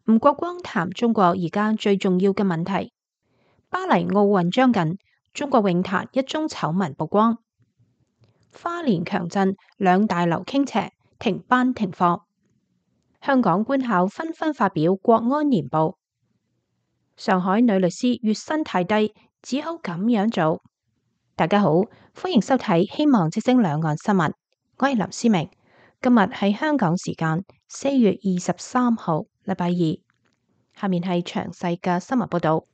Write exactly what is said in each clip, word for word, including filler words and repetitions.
吳國光談中國而家最重要嘅問題。巴黎奧運將近，中國泳壇一宗醜聞曝光。花蓮強震，兩大樓傾斜，停班停課。香港官校紛紛發表國安年報。上海女律師月薪太低，只好咁樣做。大家好，歡迎收睇希望之聲兩岸新聞，我係林思明。今日係香港時間四月二十三號，禮拜二。下面係詳細嘅新聞報道。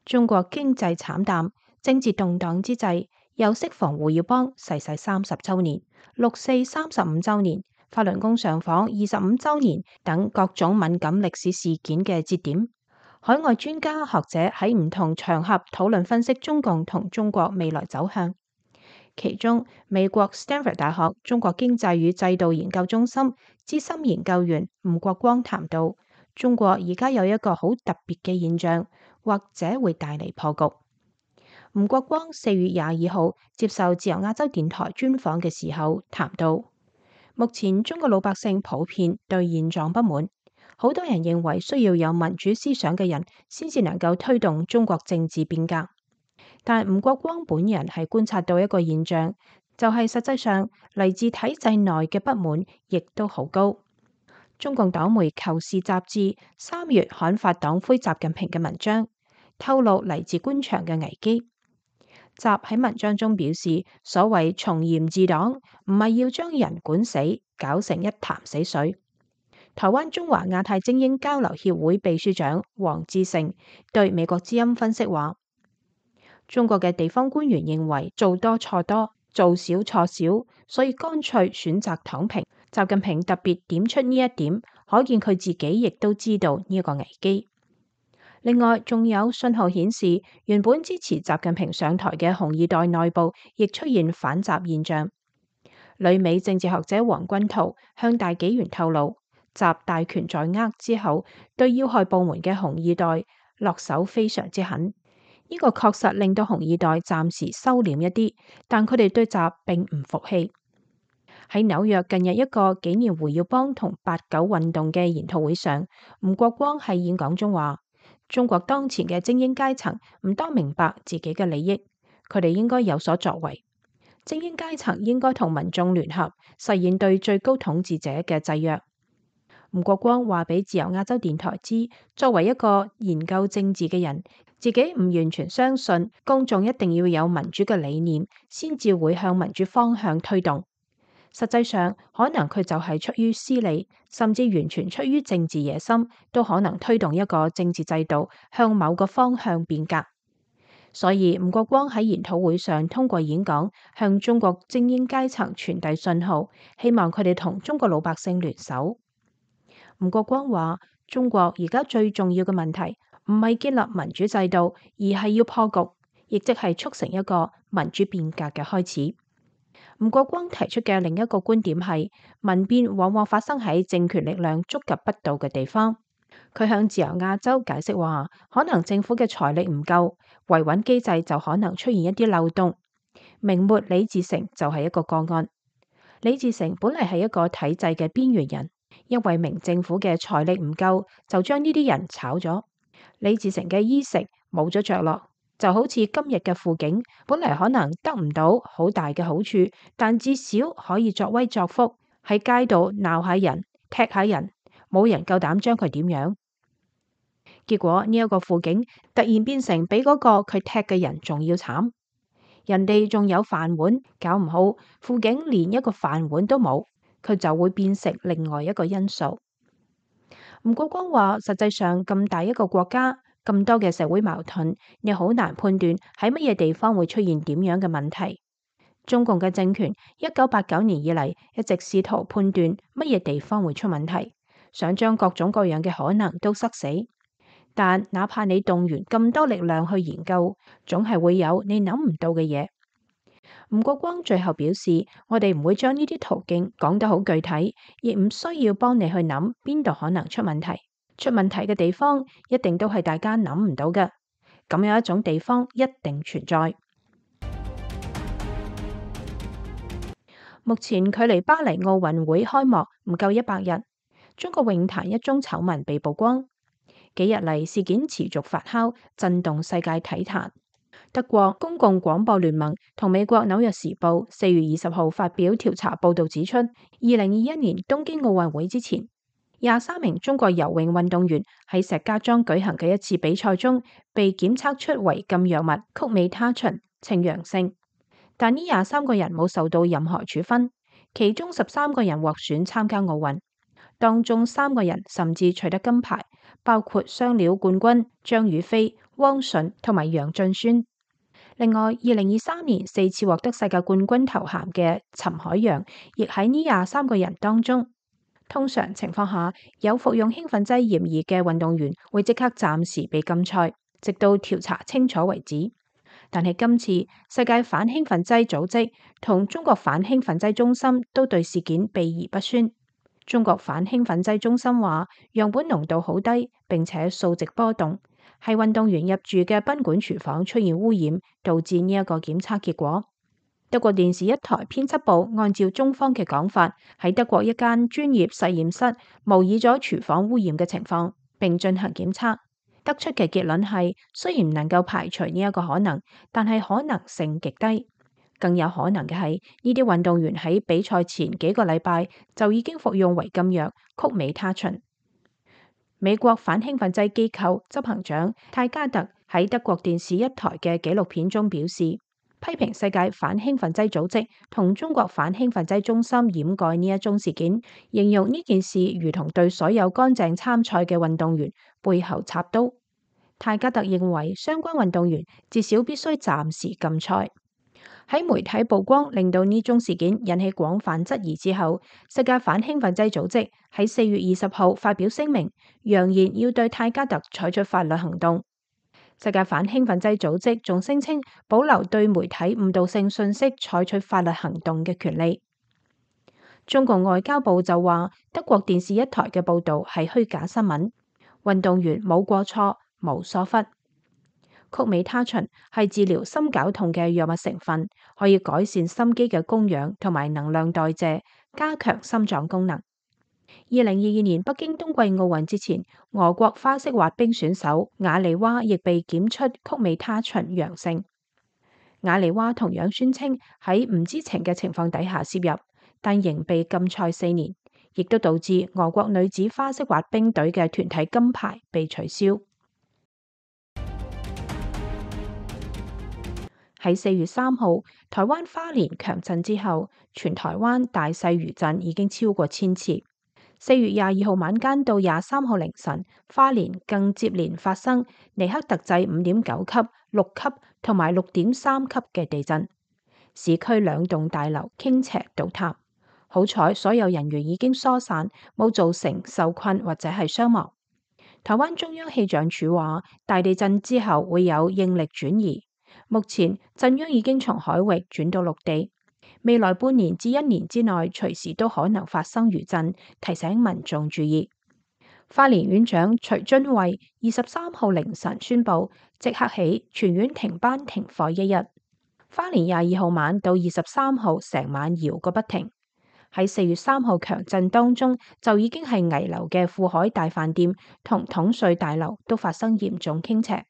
中國經濟慘淡，政治動盪之際，又適逢胡耀邦逝世三十週年、六四三十五週年、法輪功上訪二十五週年等各種敏感歷史事件嘅節點，海外專家學者喺唔同場合討論分析中共同中國未來走向。其中，美國 Stanford 大學中國經濟與制度研究中心資深研究員吳國光談到，中國而家有一個好特別嘅現象，或者會帶嚟破局。吳國光四月廿二號接受自由亞洲電台專訪嘅時候談到，目前中國老百姓普遍對現狀不滿，好多人認為需要有民主思想嘅人先至能夠推動中國政治變革。但吳國光本人係觀察到一個現象，就係實際上嚟自體制內嘅不滿亦都好高。中共黨媒《求是》雜誌三月刊發黨魁習近平嘅文章，透露嚟自官場嘅危機。習喺文章中表示，所謂從嚴治黨，唔係要將人管死，搞成一潭死水。台灣中華亞太精英交流協會秘書長黃志成對美國之音分析話，中國嘅地方官員認為做多錯多，做少錯少，所以乾脆選擇躺平。習近平特別點出呢一點，可見佢自己亦都知道呢一個危機。另外，仲有信號顯示，原本支持習近平上台嘅紅二代內部亦出現反習現象。旅美政治學者黃君濤向大紀元透露，習大權在握之後，對要害部門嘅紅二代落手非常之狠。呢個確實令到紅二代暫時收斂一啲，但佢哋對習並唔服氣。喺紐約近日一個紀念胡耀邦同八九運動嘅研討會上，吳國光喺演講中話，中國當前嘅精英階層唔多明白自己嘅利益，佢哋應該有所作為。精英階層應該同民眾聯合，實現對最高統治者嘅制約。吳國光話俾自由亞洲電台知，作為一個研究政治嘅人，自己唔完全相信公眾一定要有民主嘅理念，先至會向民主方向推動。實際上，可能佢就係出於私利，甚至完全出於政治野心，都可能推動一個政治制度向某個方向變革。所以吳國光喺研討會上通過演講，向中國精英階層傳遞信號，希望佢哋同中國老百姓聯手。吳國光話：中國而家最重要嘅問題唔係建立民主制度，而係要破局，亦即係促成一個民主變革嘅開始。吳國光提出嘅另一個觀點係，民變往往發生喺政權力量觸及不到嘅地方。佢向自由亞洲解釋話，可能政府嘅財力唔夠，維穩機制就可能出現一啲漏洞。明末李自成就係一個個案。李自成本嚟係一個體制嘅邊緣人，因為明政府嘅財力唔夠，就將呢啲人炒咗。李自成嘅衣食冇咗着落。就好似今日嘅輔警，本嚟可能得唔到好大嘅好處，但至少可以作威作福，喺街度鬧下人、踢下人，冇人夠膽將佢點樣。結果呢一個輔警突然變成比嗰個佢踢嘅人仲要慘，人哋仲有飯碗，搞唔好輔警連一個飯碗都冇，佢就會變成另外一個因素。吳國光話：實際上咁大一個國家，咁多嘅社會矛盾，你好難判斷喺乜嘢地方會出現點樣嘅問題。中共嘅政權一九八九年以嚟一直試圖判斷乜嘢地方會出問題，想將各種各樣嘅可能都塞死。但哪怕你動員咁多力量去研究，總係會有你諗唔到嘅嘢。吳國光最後表示，我哋唔會將呢啲途徑講得好具體，亦唔需要幫你去諗邊度可能出問題。出問題嘅地方一定都係大家諗唔到嘅，咁有一種地方一定存在。目前距離巴黎奧運會開幕唔夠一百日，中國泳壇一宗醜聞被曝光。幾日嚟事件持續發酵，震動世界體壇。德國公共廣播聯盟同美國紐約時報四月二十號發表調查報導指出，二零二一年東京奧運會之前，廿三名中國游泳運動員喺石家莊舉行嘅一次比賽中被檢測出違禁藥物曲美他嗪，呈陽性。但呢廿三個人冇受到任何處分，其中十三個人獲選參加奧運，當中三個人甚至取得金牌，包括雙料冠軍張雨霏、汪順同埋楊晉宣。另外，二零二三年四次獲得世界冠軍頭銜嘅陳海洋，亦喺呢廿三個人當中。通常情況下，有服用興奮劑嫌疑嘅運動員會即刻暫時被禁賽，直到調查清楚為止。但係今次世界反興奮劑組織同中國反興奮劑中心都對事件避而不宣。中國反興奮劑中心話，樣本濃度好低，並且數值波動，係運動員入住嘅賓館廚房出現污染，導致呢一個檢測結果。德國電視一台編輯部按照中方嘅講法，喺德國一間專業實驗室模擬咗廚房污染嘅情況，並進行檢測，得出嘅結論係，雖然唔能夠排除呢一個可能，但係可能性極低。更有可能嘅係，呢啲運動員喺比賽前幾個禮拜就已經服用違禁藥曲美他嗪。美國反興奮劑機構執行長泰加特喺德國電視一台嘅紀錄片中表示，批評世界反興奮劑組織同中國反興奮劑中心掩蓋呢一宗事件，形容呢件事如同對所有乾淨參賽嘅運動員背後插刀。泰加特認為，相關運動員至少必須暫時禁賽。喺媒體曝光令到呢宗事件引起廣泛質疑之後，世界反興奮劑組織喺四月二十號發表聲明，揚言要對泰加特採取法律行動。世界反興奮劑組織仲聲稱保留對媒體誤導性信息採取法律行動嘅權利。中國外交部就話，德國電視一台嘅報導係虛假新聞，運動員冇過錯，冇疏忽。曲美他嗪係治療心絞痛嘅藥物成分，可以改善心肌嘅供氧同埋能量代謝，加強心臟功能。二零二二年北京冬季奧運之前，俄國花式滑冰選手瓦利娃亦被檢出曲美他嗪陽性。瓦利娃同樣宣稱喺唔知情嘅情況底下攝入，但仍被禁賽四年，亦都導致俄國女子花式滑冰隊嘅團體金牌被取消。喺四月三號，台灣花蓮強震之後，全台灣大細餘震已經超過千次。四月廿二號晚間到廿三號凌晨，花蓮更接連發生尼克特制五點九級、六級同埋六點三級嘅地震，市區兩棟大樓傾斜倒塌。好彩所有人員已經疏散，冇造成受困或者係傷亡。台灣中央氣象署話，大地震之後會有應力轉移。目前震央已經從海域轉到陸地，未來半年至一年之內隨時都可能發生餘震，提醒民眾注意。花蓮縣長徐榛惠二十三號凌晨宣布，即刻起全縣停班停課一日。花蓮廿二號晚到二十三號成晚搖個不停。喺四月三號強震當中，就已經係危樓嘅富海大飯店同統帥大樓都發生嚴重傾斜。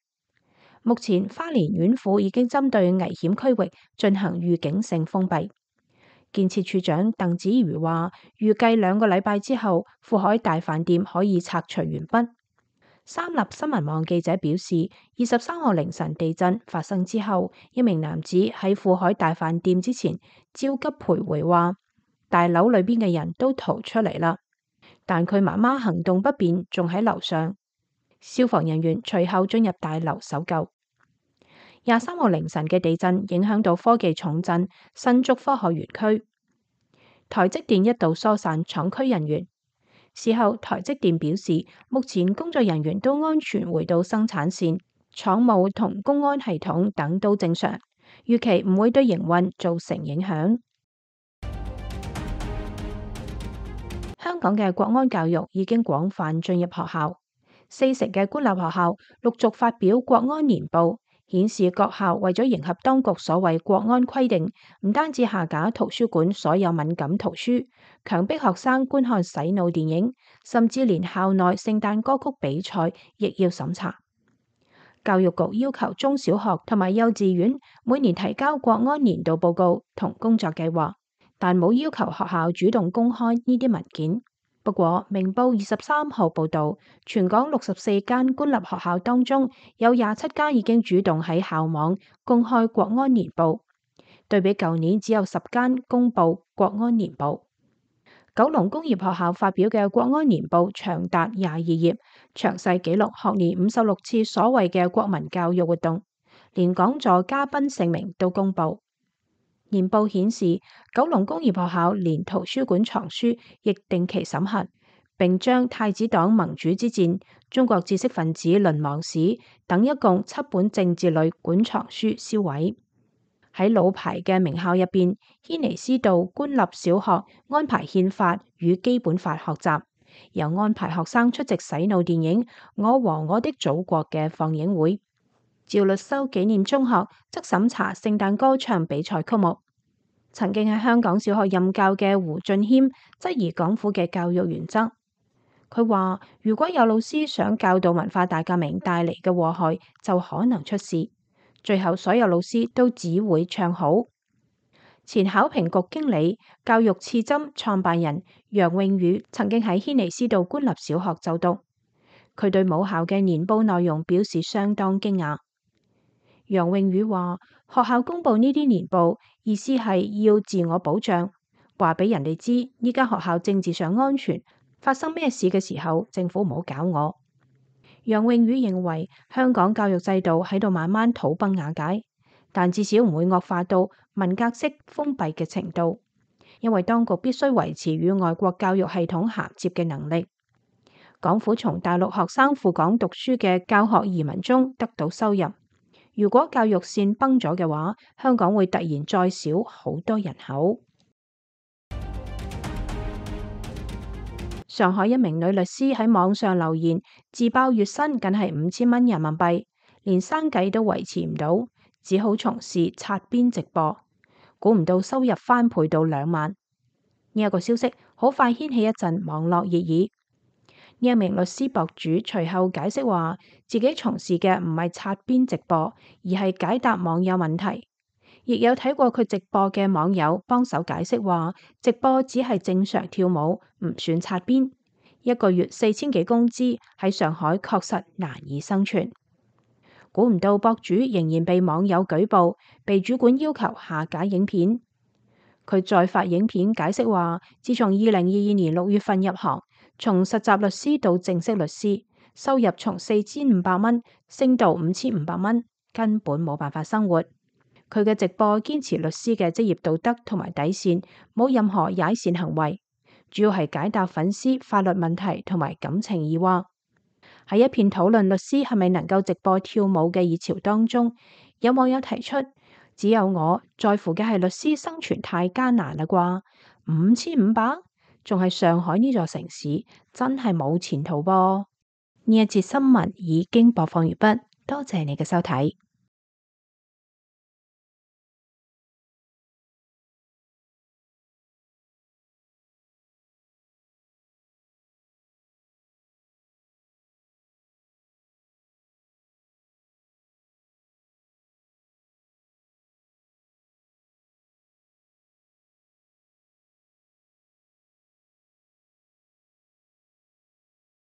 目前花蓮縣府已經針對危險區域進行預警性封閉。建設處長鄧子瑜話，預計兩個禮拜之後，富海大飯店可以拆除完畢。三立新聞網記者表示，二十三號凌晨地震發生之後，一名男子喺富海大飯店之前焦急徘徊，話大樓裏邊嘅人都逃出嚟啦，但佢媽媽行動不便，仲喺樓上。消防人員隨後進入大樓搜救。廿三號凌晨嘅地震影響到科技重鎮新竹科學園區，台積電一度疏散廠區人員。事後台積電表示，目前工作人員都安全回到生產線，廠務同公安系統等都正常，預期唔會對營運造成影響。香港嘅國安教育已經廣泛進入學校。四成嘅官立學校陸續發表國安年報，顯示各校為咗迎合當局所謂國安規定，唔單止下架圖書館所有敏感圖書，強迫學生觀看洗腦電影，甚至連校內聖誕歌曲比賽亦要審查。教育局要求中小學同埋幼稚園每年提交國安年度報告同工作計劃，但冇要求學校主動公開呢啲文件。不過，明報二十三號報導，全港六十四間官立學校當中，有廿七間已經主動喺校網公開國安年報，對比舊年只有十間公佈國安年報。九龍工業學校發表嘅國安年報長達廿二頁，詳細記錄學年五十六次所謂嘅國民教育活動，連講座嘉賓姓名都公佈。年報顯示，九龍工業學校連圖書館藏書亦定期審核，並將太子黨盟主之戰、中國知識分子淪亡史等一共七本政治類館藏書銷毀。喺老牌嘅名校入邊，軒尼詩道官立小學安排憲法與基本法學習，又安排學生出席洗腦電影《我和我的祖國》嘅放映會。趙律修紀念中學則審查聖誕歌唱比賽曲目。曾經喺香港小學任教嘅胡俊謙質疑港府嘅教育原則。佢話：如果有老師想教導文化大革命帶嚟嘅禍害，就可能出事。最後所有老師都只會唱好。前考評局經理、教育刺針創辦人楊穎宇曾經喺軒尼詩道官立小學就讀，佢對母校嘅年報內容表示相當驚訝。楊穎宇話：學校公布呢啲年報，意思係要自我保障，話俾人哋知呢間學校政治上安全，發生咩事嘅時候，政府唔好搞我。楊穎宇認為香港教育制度喺度慢慢土崩瓦解，但至少唔會惡化到文革式封閉嘅程度，因為當局必須維持與外國教育系統銜接嘅能力。港府從大陸學生赴港讀書嘅教學移民中得到收入。如果教育線崩咗嘅話，香港會突然再少好多人口。上海一名女律師喺網上留言，自爆月薪僅係五千蚊人民幣，連生計都維持唔到，只好從事擦邊直播。估唔到收入翻倍到兩萬。呢、這、一個消息好快掀起一陣網絡熱議。呢一名律師博主隨後解釋話，自己從事嘅唔係擦邊直播，而係解答網友問題。亦有睇過佢直播嘅網友幫手解釋話，直播只係正常跳舞，唔算擦邊。一個月四千幾工資喺上海確實難以生存。估唔到博主仍然被網友舉報，被主管要求下架影片。佢再發影片解釋話，自從二零二二年六月份入行，從實習律師到正式律師，收入從四千五百蚊升到五千五百蚊，根本冇辦法生活。佢嘅直播堅持律師嘅職業道德同埋底線，冇任何踩線行為，主要係解答粉絲法律問題同埋感情疑惑。喺一片討論律師係咪能夠直播跳舞嘅熱潮當中，有網友提出，只有我在乎嘅係律師生存太艱難啦啩，五千五百，仲係上海呢座城市，真係冇前途噃。呢一節新聞已經播放完畢，多謝你嘅收睇。